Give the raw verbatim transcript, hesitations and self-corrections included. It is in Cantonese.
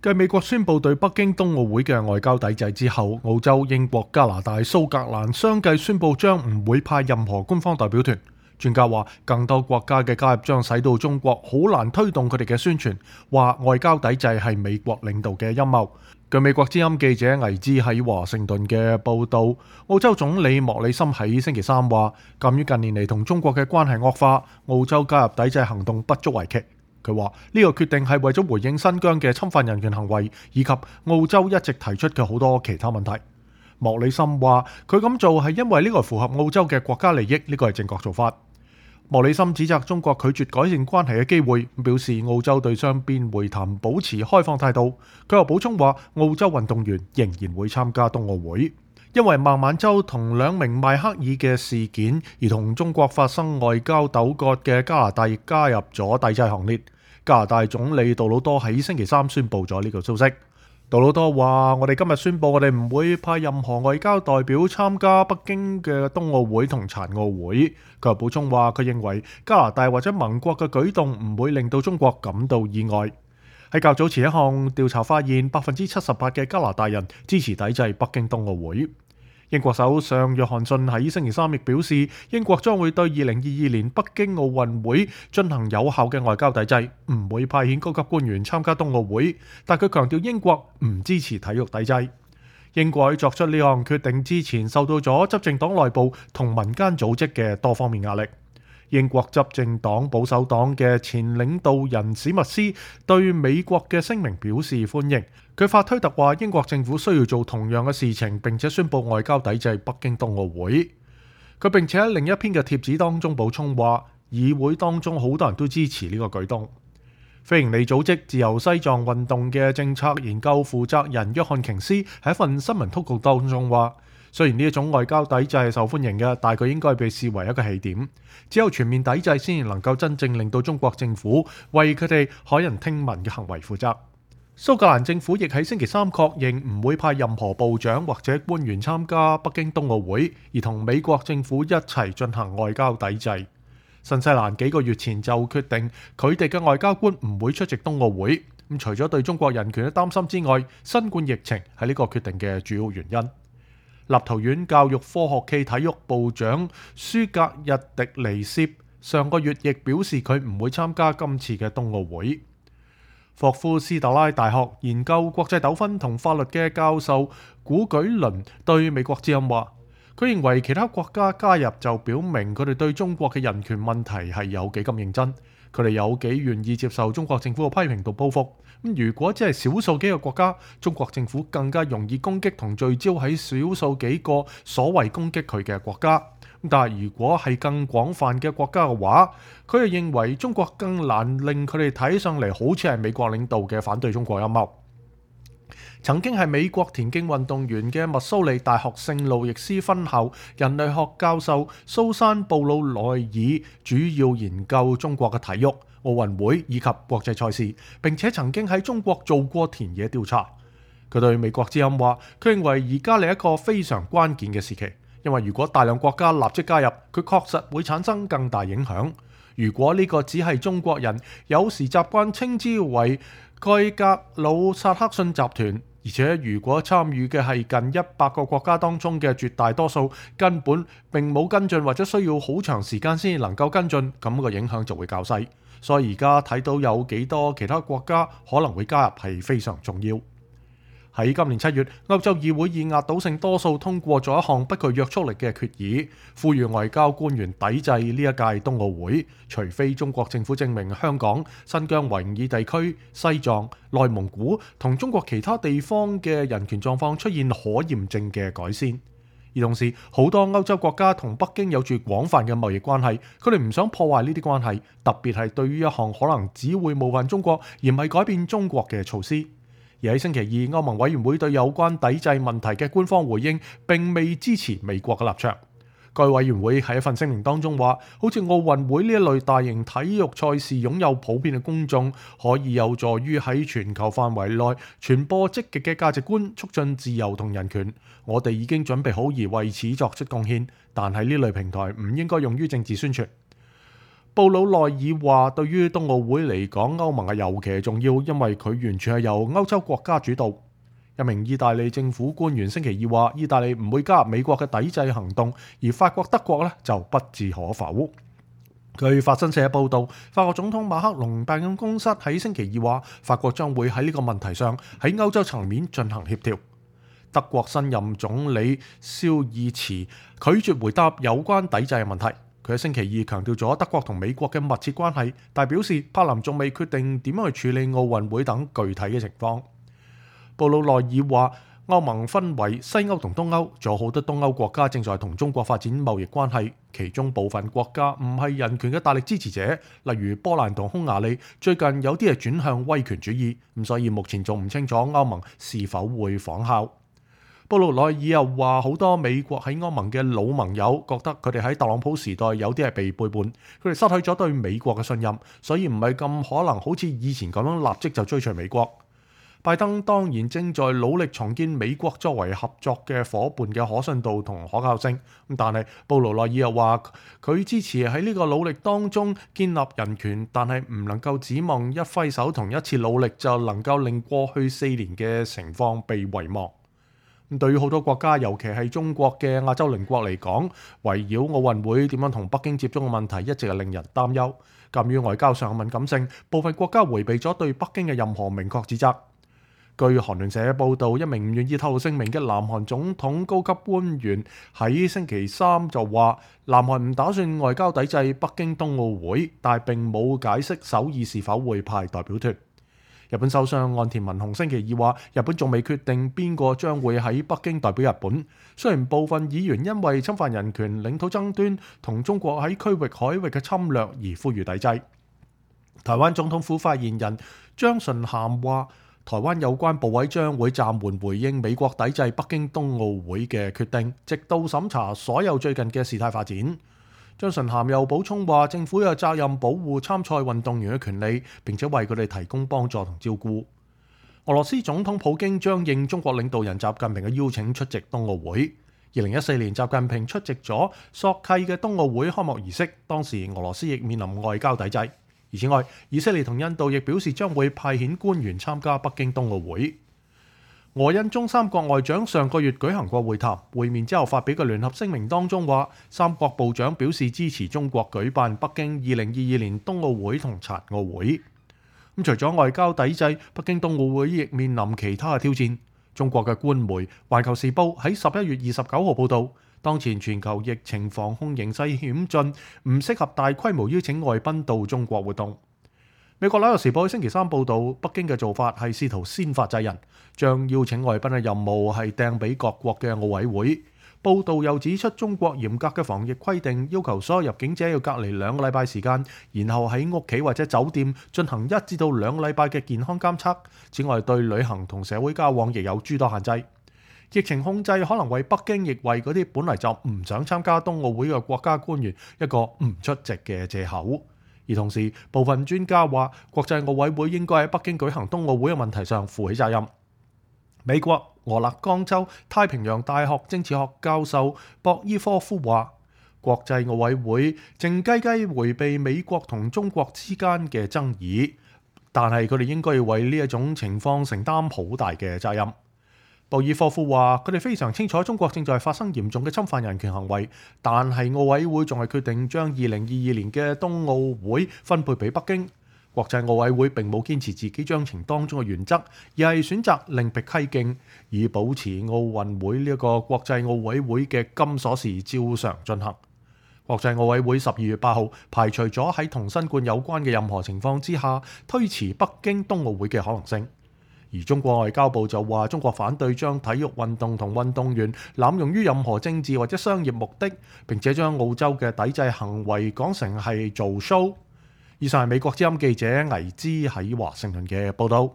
繼美國宣布對北京冬奧會嘅外交抵制之後，澳洲、英國、加拿大、蘇格蘭相繼宣布將唔會派任何官方代表團。專家話，更多國家嘅加入將使到中國好難推動佢哋嘅宣傳，話外交抵制係美國領導嘅陰謀。據美國之音記者倪茲喺華盛頓嘅報導，澳洲總理莫里森喺星期三話，鑑於近年嚟同中國嘅關係惡化，澳洲加入抵制行動不足為奇。佢話呢個決定係為咗回應新疆嘅侵犯人權行為，以及澳洲一直提出嘅好多其他問題。莫里森話佢咁做係因為呢個符合澳洲嘅國家利益，呢個係正確做法。莫里森指責中國拒絕改善關係嘅機會，表示澳洲對雙邊會談保持開放態度。佢又補充話，澳洲運動員仍然會參加冬奧會。因為孟晚舟同兩名邁克爾嘅事件而同中國發生外交糾葛嘅加拿大亦加入咗抵制行列。加拿大總理杜魯多喺星期三宣布咗呢個消息。杜魯多話：我哋今日宣布，我哋唔會派任何外交代表參加北京嘅冬奧會同殘奧會。佢又補充話，佢認為加拿大或者盟國嘅舉動唔會令到中國感到意外。喺較早前一項調查發現，百分之七十八嘅加拿大人支持抵制北京冬奧會。英國首相約翰遜喺星期三亦表示，英國將會對二零二二年北京奧運會進行有效嘅外交抵制，唔會派遣高級官員參加冬奧會。但佢強調英國唔支持體育抵制。英國喺作出呢項決定之前，受到咗執政黨內部同民間組織嘅多方面壓力。英國執政黨保守黨嘅前領導人史密斯對美國嘅聲明表示歡迎。佢發推特話，英國政府需要做同樣嘅事情，並且宣布外交抵制北京冬奧會。佢並且喺另一篇嘅帖子當中補充話，議會當中好多人都支持呢個舉動。非營利組織自由西藏運動嘅政策研究負責人約翰瓊斯喺一份新聞通告當中話，雖然呢一種外交抵制係受歡迎嘅，但係佢應該被視為一個起點。只有全面抵制先至能夠真正令到中國政府為佢哋駭人聽聞嘅行為負責。蘇格蘭政府亦喺星期三確認唔會派任何部長或者官員參加北京冬奧會，而同美國政府一齊進行外交抵制。新西蘭幾個月前就決定佢哋嘅外交官唔會出席冬奧會。咁除咗對中國人權嘅擔心之外，新冠疫情係呢個決定嘅主要原因。立陶宛教育科學暨體育部長舒格日迪尼涉上個月亦表示佢唔會參加今次嘅冬奧會。霍夫斯特拉大學研究國際糾紛同法律嘅教授古舉倫對美國之音話，佢認為其他國家加入就表明佢哋對中國嘅人權問題係有幾咁認真，佢哋有幾願意接受中國政府嘅批評同報復。咁如果只係少數幾個國家，中國政府更加容易攻擊同聚焦喺少數幾個所謂攻擊佢嘅國家。但係如果係更廣泛嘅國家嘅話，佢哋認為中國更難令佢哋睇上嚟好似係美國領導嘅反對中國陰謀。曾經係美國田徑運動員嘅密蘇里大學聖路易斯分校人類學教授蘇珊布魯內爾主要研究中國嘅體育、奧運會以及國際賽事，並且曾經喺中國做過田野調查。佢對美國之音話，佢認為而家係一個非常關鍵嘅時期。因為如果大量國家立即加入，佢確實會產生更大影響。如果呢個只係中國人，有時習慣稱之為蓋格魯薩克遜集團，而且如果參與嘅係近一百個國家當中嘅絕大多數，根本並冇跟進或者需要好長時間先能夠跟進，咁個影響就會較細。所以而家睇到有幾多其他國家可能會加入係非常重要。喺今年七月，歐洲議會以壓倒性多數通過咗一項不具約束力嘅決議，呼籲外交官員抵制呢一屆冬奧會，除非中國政府證明香港、新疆維吾爾地區、西藏、內蒙古同中國其他地方嘅人權狀況出現可驗證嘅改善。而同時，好多歐洲國家同北京有住廣泛嘅貿易關係，佢哋唔想破壞呢啲關係，特別係對於一項可能只會冒犯中國而唔係改變中國嘅措施。而喺星期二，歐盟委員會對有關抵制問題嘅官方回應並未支持美國嘅立場。該委員會喺一份聲明當中話，好似奧運會呢一類大型體育賽事擁有普遍嘅公眾，可以有助於喺全球範圍內傳播積極嘅價值觀，促進自由同人權。我哋已經準備好而為此作出貢獻，但係呢類平台唔應該用於政治宣傳。布魯內爾話：對於冬奧會嚟講，歐盟係尤其重要，因為佢完全係由歐洲國家主導。一名意大利政府官員星期二話：意大利唔會加入美國嘅抵制行動，而法國、德國呢就不置可否。據法新社報導，法國總統馬克龍辦公室喺星期二話，法國將會喺呢個問題上喺歐洲層面進行協調。德國新任總理肖爾茨拒絕回答有關抵制嘅問題。佢喺星期二強調咗德國同美國嘅密切關係，但表示柏林仲未決定點樣去處理奧運會等具體嘅情況。布魯內爾話：歐盟分為西歐同東歐，仲有好多東歐國家正在同中國發展貿易關係，其中部分國家唔係人權嘅大力支持者，例如波蘭同匈牙利，最近有啲係轉向威權主義，咁所以目前仲唔清楚歐盟是否會仿效。布魯內爾又話：好多美國喺歐盟嘅老盟友覺得佢哋喺特朗普時代有啲係被背叛，佢哋失去咗對美國嘅信任，所以唔係咁可能好似以前咁樣立即就追隨美國。拜登當然正在努力重建美國作為合作嘅夥伴嘅可信度同可靠性，但係布魯內爾又話佢支持喺呢個努力當中建立人權，但係唔能夠指望一揮手同一次努力就能夠令過去四年嘅情況被遺忘。對於好多國家，尤其係中國嘅亞洲鄰國嚟講，圍繞奧運會點樣同北京接觸嘅問題一直係令人擔憂。鑑於外交上嘅敏感性，部分國家迴避咗對北京嘅任何明確指責。據韓聯社報導，一名唔願意透露姓名嘅南韓總統高級官員喺星期三就話，南韓唔打算外交抵制北京冬奧會，但係並冇解釋首爾是否會派代表團。日本首相岸田文雄星期二話，日本仲未決定邊個將會喺北京代表日本。雖然部分議員因為侵犯人權、領土爭端同中國喺區域海域嘅侵略而呼籲抵制。台灣總統府發言人張純涵話，台灣有關部委將會暫緩回應美國抵制北京冬奧會嘅決定，直到審查所有最近嘅事態發展。張純涵又補充話，政府有責任保護參賽運動員嘅權利，並且為佢哋提供幫助同照顧。俄羅斯總統普京將應中國領導人習近平嘅邀請出席冬奧會。二零一四年，習近平出席咗索契嘅冬奧會開幕儀式，當時俄羅斯亦面臨外交抵制。而此外，以色列同印度亦表示將會派遣官員參加北京冬奧會。俄印中三國外長上個月舉行過會談，會面之後發表嘅聯合聲明當中話，三國部長表示支持中國舉辦北京二零二二年冬奧會同殘奧會。咁除咗外交抵制，北京冬奧會亦面臨其他嘅挑戰。中國嘅官媒《環球時報》喺十一月二十九號報導，當前全球疫情防控形勢險峻，唔適合大規模邀請外賓到中國活動。美國《紐約時報》星期三報導，北京嘅做法係試圖先發制人，將邀請外賓嘅任務係掟俾各國嘅奧委會。報導又指出，中國嚴格嘅防疫規定要求所有入境者要隔離兩個禮拜時間，然後喺屋企或者酒店進行一至到兩個禮拜嘅健康監測。此外，對旅行同社會交往亦有諸多限制。疫情控制可能為北京亦為嗰啲本嚟就唔想參加冬奧會嘅國家官員一個唔出席嘅藉口。而同時，部分專家話，國際奧委會應該喺北京舉行冬奧會嘅問題上負起責任。美國俄勒岡州太平洋大學政治學教授博伊科夫話，國際奧委會靜雞雞迴避美國同中國之間嘅爭議，但係佢哋應該要為呢一種情況承擔好大嘅責任。博爾科夫話：佢哋非常清楚中國正在發生嚴重嘅侵犯人權行為，但係奧委會仲係決定將二零二二年嘅冬奧會分配俾北京。國際奧委會並冇堅持自己章程當中嘅原則，而係選擇另闢蹊徑，以保持奧運會呢一個國際奧委會嘅金鎖匙照常進行。國際奧委會十二月八號排除咗喺同新冠有關嘅任何情況之下推遲北京冬奧會嘅可能性。而中國外交部就話，中國反對將體育運動同運動員濫用於任何政治或者商業目的，並且將澳洲嘅抵制行為講成係做 show。以上係美國之音記者倪之喺華盛頓嘅報導。